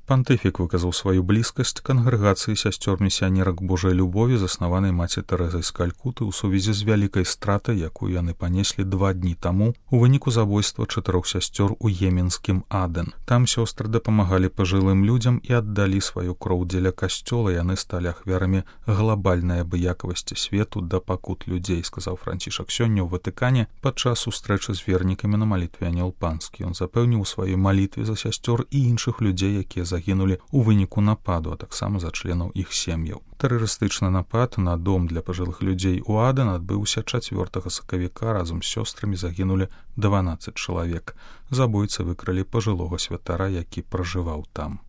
Пантыфік выказаў сваю блізкасць кангрэгацыі сясцёр-місіянерак Божай любові, заснаванай маці Тэрэзай з Калькуты ў сувязі з вялікай стратай, якую яны панеслі 2 дні таму у выніку забойства 4 сясцёр у еменскім Аден. Там сёстры дапамагалі пажылым людзям і аддалі сваю кроў дзеля касцёла, яны сталі ахвярамі глабальнай абыякавасці свету да пакут людзей, сказаў Францішак сёння ў Ватыкане падчас сустрэчы з вернікамі на малітве Анёл Панскі. Ён запэўніў у сваёй малітве за сясцёр і іншых людзей, якія загінулі ў выніку нападу, а таксама за членаў іх сем'яў. Тэрарыстычны напад на дом для пажылых людзей у Аден адбыўся 4 сакавіка, разам з сёстрамі загінулі 12 чалавек. Забойцы выкралі пажылога святара, які пражываў там.